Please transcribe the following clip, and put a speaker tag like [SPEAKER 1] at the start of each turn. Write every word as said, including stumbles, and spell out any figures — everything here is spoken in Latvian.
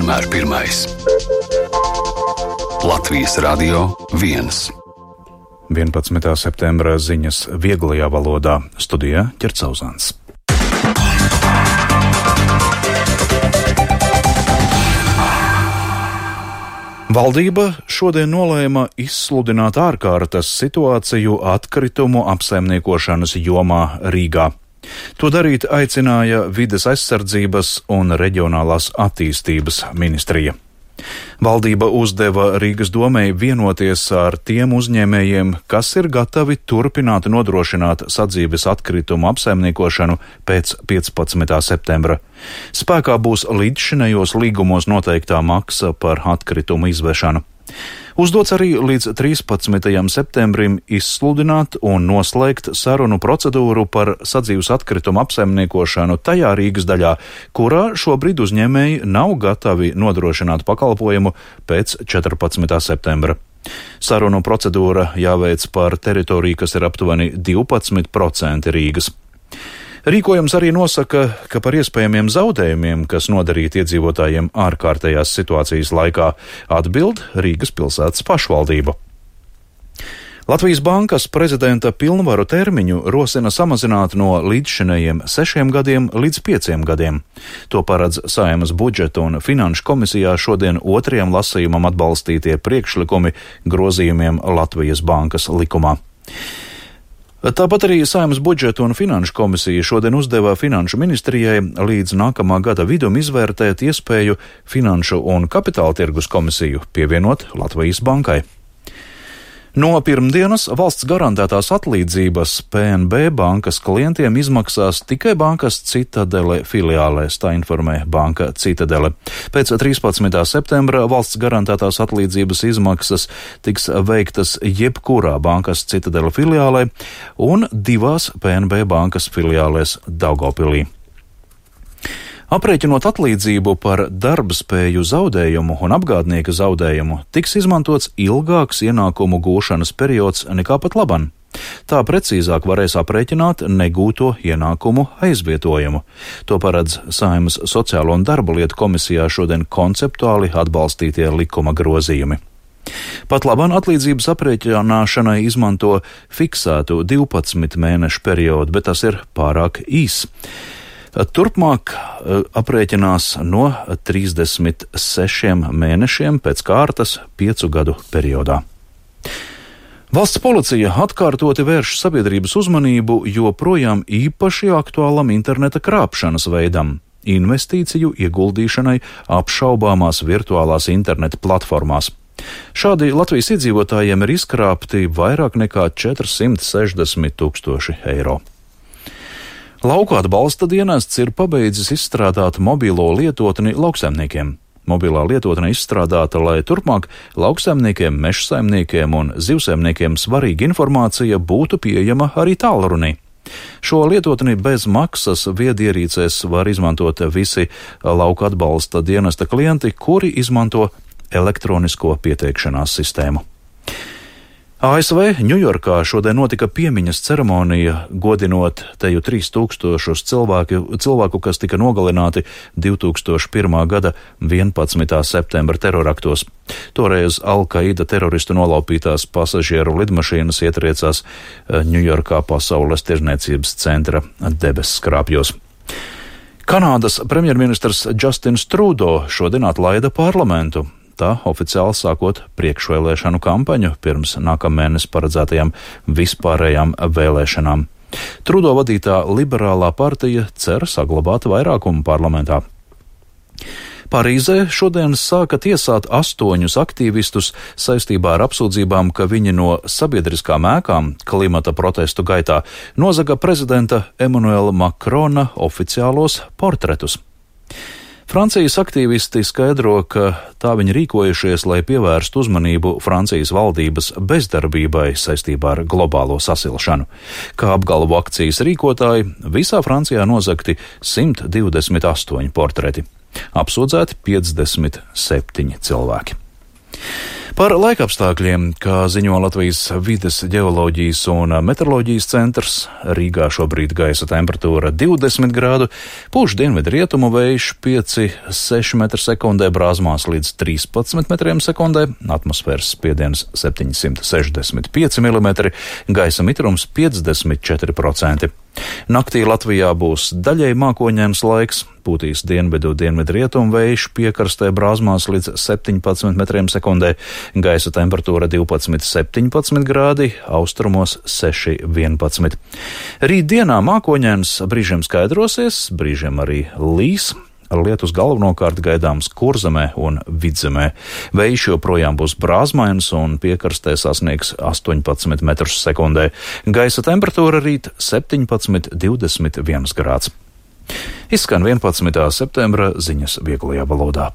[SPEAKER 1] vienmēr pirmais. Latvijas Radio viens.
[SPEAKER 2] vienpadsmitā septembra ziņas vieglajā valodā. Studijā Ķercauzāns. Valdība šodien nolēma izsludināt ārkārtas situāciju atkritumu apsaimniekošanas jomā Rīgā. To darīt aicināja Vides aizsardzības un reģionālās attīstības ministrija. Valdība uzdeva Rīgas domei vienoties ar tiem uzņēmējiem, kas ir gatavi turpināt nodrošināt sadzīves atkritumu apsaimniekošanu pēc piecpadsmitā septembra. Spēkā būs līdzšinējos līgumos noteiktā maksa par atkritumu izvešanu. Uzdots arī līdz trīspadsmitajam septembrim izsludināt un noslēgt sarunu procedūru par sadzīves atkritumu apsaimniekošanu tajā Rīgas daļā, kurā šobrīd uzņēmēji nav gatavi nodrošināt pakalpojumu pēc četrpadsmitā septembra. Sarunu procedūra jāveic par teritoriju, kas ir aptuveni divpadsmit procenti Rīgas. Rīkojums arī nosaka, ka par iespējamiem zaudējumiem, kas nodarīti iedzīvotājiem ārkārtējās situācijas laikā, atbild Rīgas pilsētas pašvaldība. Latvijas Bankas prezidenta pilnvaru termiņu rosina samazināt no līdzšinējiem sešiem gadiem līdz pieciem gadiem. To paredz Saeimas budžeta un finanšu komisijā šodien otrajam lasījumam atbalstītie priekšlikumi grozījumiem Latvijas Bankas likumā. Tāpat arī Saeimas budžeta un finanšu komisija šodien uzdeva finanšu ministrijai līdz nākamā gada vidum izvērtēt iespēju finanšu un kapitāla tirgus komisiju pievienot Latvijas Bankai. No pirmdienas valsts garantētās atlīdzības P N B bankas klientiem izmaksās tikai bankas Citadele filiālēs, tā informē banka Citadele. Pēc trīspadsmitā septembra valsts garantētās atlīdzības izmaksas tiks veiktas jebkurā bankas Citadele filiālē un divās P N B bankas filiālēs Daugavpilī. Aprēķinot atlīdzību par darbspēju zaudējumu un apgādnieka zaudējumu, tiks izmantots ilgāks ienākumu gūšanas periods nekā pat laban. Tā precīzāk varēs aprēķināt negūto ienākumu aizvietojumu. To paredz Saeimas sociālo un darba lietu komisijā šodien konceptuāli atbalstītie likuma grozījumi. Pat laban atlīdzības aprēķināšanai izmanto fiksētu divpadsmit mēnešu periodu, bet tas ir pārāk īs. Turpmāk aprēķinās no trīsdesmit sešiem mēnešiem pēc kārtas piecu gadu periodā. Valsts policija atkārtoti vērš sabiedrības uzmanību joprojām īpaši aktuālam interneta krāpšanas veidam – investīciju ieguldīšanai apšaubāmās virtuālās interneta platformās. Šādi Latvijas iedzīvotājiem ir izkrāpti vairāk nekā četrsimt sešdesmit tūkstoši eiro. Lauku atbalsta dienests ir pabeidzis izstrādāt mobilo lietotni lauksaimniekiem. Mobilā lietotne izstrādāta, lai turpmāk lauksaimniekiem, mežsaimniekiem un zivsaimniekiem svarīga informācija būtu pieejama arī tālrunī. Šo lietotni bez maksas viedierīcēs var izmantot visi lauku atbalsta dienesta klienti, kuri izmanto elektronisko pieteikšanās sistēmu. A S V Ņujorkā šodien notika piemiņas ceremonija, godinot teju trīs tūkstošus cilvēku, cilvēku, kas tika nogalināti divi tūkstoši pirmā gada vienpadsmitā septembra teroraktos. Toreiz Al-Qaida teroristu nolaupītās pasažieru lidmašīnas ietriecās Ņujorkā pasaules tirdzniecības centra debesu skrāpjos. Kanādas premjerministrs Justins Trudeau šodien atlaida parlamentu. Tā oficiāli sākot priekšvēlēšanu kampaņu pirms nākamēnes paredzētajām vispārējām vēlēšanām. Trudeau vadītā liberālā partija cer saglabāt vairākumu parlamentā. Parīzē šodien sāka tiesāt astoņus aktīvistus saistībā ar apsūdzībām, ka viņi no sabiedriskām ēkām klimata protestu gaitā nozaga prezidenta Emanuela Makrona oficiālos portretus. Francijas aktīvisti skaidro, ka tā viņi rīkojušies, lai pievērstu uzmanību Francijas valdības bezdarbībai saistībā ar globālo sasilšanu. Kā apgalvo akcijas rīkotāji, visā Francijā nozagti simt divdesmit astoņi portreti. Apsūdzēti piecdesmit septiņi cilvēki. Par laikapstākļiem, kā ziņo Latvijas vides ģeoloģijas un meteoroloģijas centrs, Rīgā šobrīd gaisa temperatūra divdesmit grādu, pūš dienvidu rietumu vējš pieci seši metri sekundē, brāzmās līdz trīspadsmit metriem sekundē, atmosfēras spiediens septiņsimt sešdesmit pieci milimetri, gaisa mitrums piecdesmit četri procenti. Naktī Latvijā būs daļēji mākoņains laiks, pūtīs dienvidu dienvidu rietumu vējš, piekrastē brāzmās līdz septiņpadsmit metriem sekundē, gaisa temperatūra divpadsmit septiņpadsmit grādi, austrumos seši vienpadsmit. Rīt dienā mākoņains, brīžiem skaidrosies, brīžiem arī līs. Lietus galvenokārt gaidāms Kurzemē un Vidzemē. Vējš joprojām būs brāzmains un piekrastē sasniegs astoņpadsmit metrus sekundē. Gaisa temperatūra rīt septiņpadsmit divdesmit viens grāds. Izskan vienpadsmitā septembra ziņas vieglajā valodā.